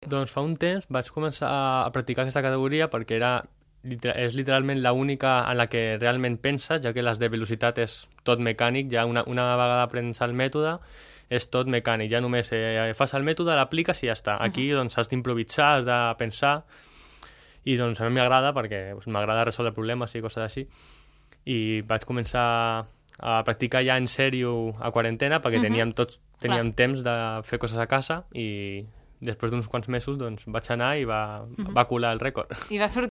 Doncs fa un temps vaig començar a practicar aquesta categoria perquè és literalment l'única en la que realment penses, ja que les de velocitat és tot mecànic, ja una vegada aprens el mètode és tot mecànic, ja només fas el mètode, l'apliques i ja està. Aquí doncs has d'improvisar, has de pensar, i doncs a mi m'agrada perquè m'agrada resoldre problemes i coses així, i vaig començar a practicar ja en sèrio a quarantena perquè teníem temps de fer coses a casa, i després d'uns quants mesos doncs vaig anar i va colar el rècord. I va sortir